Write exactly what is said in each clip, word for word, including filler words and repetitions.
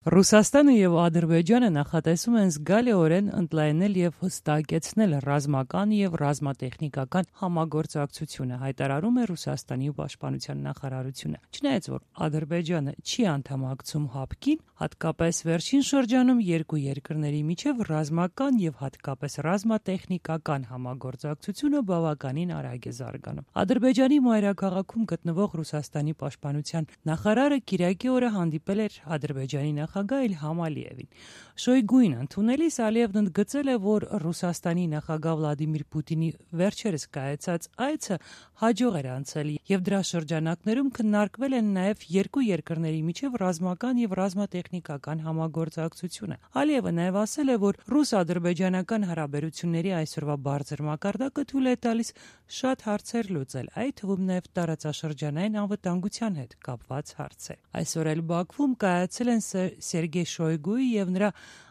Ռուսաստանը եւ Ադրբեջանը նախատեսում են զգալիորեն ընդլայնել եւ հստակեցնել ռազմական եւ ռազմատեխնիկական համագործակցությունը, հայտարարում է Ռուսաստանի պաշտպանության նախարարությունը։ Չնայած որ Ադրբեջանը չի անդամակցում հապկին, հատկապես վերջին շրջանում երկու երկրների միջև ռազմական եւ հատկապես ռազմատեխնիկական համագործակցությունը բավականին արագ է զարգանում։ Ադրբեջանի մայրաքաղաքում գտնվող Ռուսաստանի պաշտպանության նախարարը Կիրակի օրը հանդիպել էր Ադրբեջանի նախագահ Իլհամ Ալիևին։ Շոյգուին ընդունելիս Ալիևն ընդգծել է, որ Ռուսաստանի նախագահ Վլադիմիր Պուտինի վերջերս կայացած այցը հաջող էր անցել եւ դրա շրջանակներում քննարկվել են նաեւ երկու երկրների միջև ռազմական եւ ռազմատեխնիկական համագործակցությունը։ Ալիևը նաեւ ասել է, որ ռուս-ադրբեջանական հարաբերությունների այսօրվա բարձր մակարդակը թույլ է տալիս շատ հարցեր լուծել, այդ թվում նաեւ տարածաշրջանային անվտանգության հետ կապված հարցեր։ Այսօր էլ Բաքվում կայացել են Սերգեյ Շոյգուի եւ նրա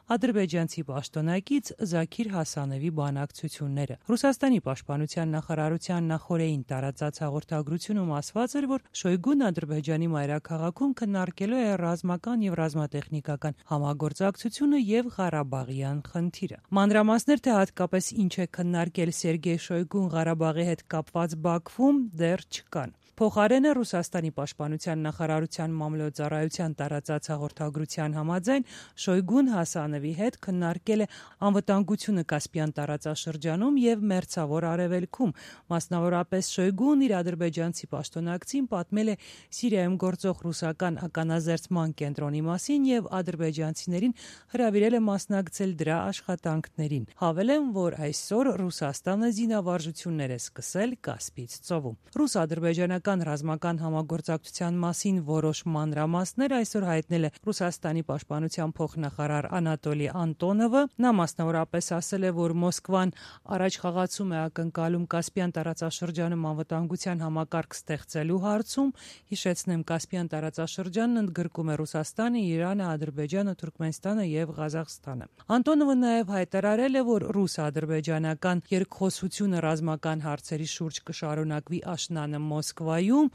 ադրբեջանցի պաշտոնակից Զաքիր Հասանովի բանակցությունները։ Ռուսաստանի պաշտպանության նախարարության նախօրեին տարածած հաղորդագրությունում ասված էր, որ Շոյգուն Ադրբեջանի մայրաքաղաքում քննարկելու է ռազմական եւ ռազմատեխնիկական համագործակցությունը եւ Ղարաբաղյան խնդիրը։ Մանրամասներ, թե հատկապես ինչ է քննարկել Սերգեյ Շոյգուն Ղարաբաղի հետ կապված Բաքվում, դեռ չկան։ Փոխարենը Ռուսաստանի պաշտպանության նախարարության մամլոյցարայության տարածած հաղորդագրության համաձայն Շոյգուն Հասանովի հետ քննարկել է անվտանգությունը Կասպյան տարածաշրջանում եւ Մերձավոր Արևելքում։ Մասնավորապես Շոյգուն իր ադրբեջանցի պաշտոնակցին պատմել է Սիրիայում գործող ռուսական ականազերծման կենտրոնի մասին եւ ադրբեջանցիներին հրավիրել է մասնակցել դրա աշխատանքներին։ Հավելեմ, որ այսօր Ռուսաստանը զինավարժություններ է սկսել Կասպից ծովում։ Ռուս-ադրբեջանական ռազմական համագործակցության մասին որոշ մանրամասներ այսօր հայտնել է Ռուսաստանի պաշտպանության փոխնախարար Անատոլի Անտոնովը։ Նա մասնավորապես ասել է, որ Մոսկվան առաջ խաղացում է ակնկալում Կասպյան տարածաշրջանում անվտանգության համակարգ ստեղծելու հարցում։ Հիշեցնեմ, Կասպյան տարածաշրջանն ընդգրկում է Ռուսաստանը, Իրանը, Ադրբեջանը, Թուրքմենստանը եւ Ղազախստանը։ Անտոնովը նաեւ հայտարարել է, որ ռուս-ադրբեջանական երկխոսությունը ռազմական հարցերի շուրջ կշարունակվի աշնանը Մոսկվայում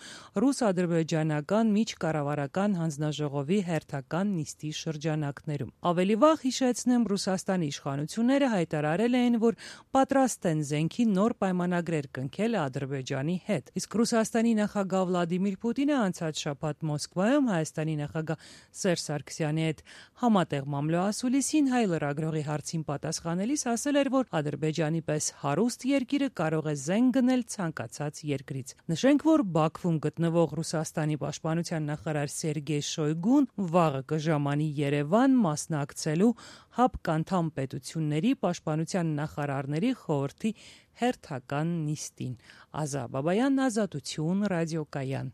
ռուս-ադրբեջանական միջկառավարական հանձնաժողովի հերթական նիստի շրջանակներում։ Ավելի վաղ հիշեցնեմ, Ռուսաստանի իշխանությունները հայտարարել էին, որ պատրաստ են զենքի նոր պայմանագրեր կնքել Ադրբեջանի հետ։ Իսկ Ռուսաստանի նախագահ Վլադիմիր Պուտինը անցած շաբաթ Մոսկվայում Հայաստանի նախագահ Սերժ Սարգսյանի հետ համատեղ մամլոասուլիսին հայ լրագրողի հարցին պատասխանելիս ասել էր, որ Ադրբեջանի պես հարուստ երկիրը կարող է զենք գնել ցանկացած երկրից։ Նշենք, որ Բաքվում գտնվող Ռուսաստանի պաշտպանության նախարար Սերգեյ Շոյգուն վաղը կժամանի Երևան մասնակցելու հապկանդամ պետությունների պաշտպանության նախարարների խորհրդի հերթական նիստին։ Ազա Բաբայան, Ազատություն, ռադիոկայան։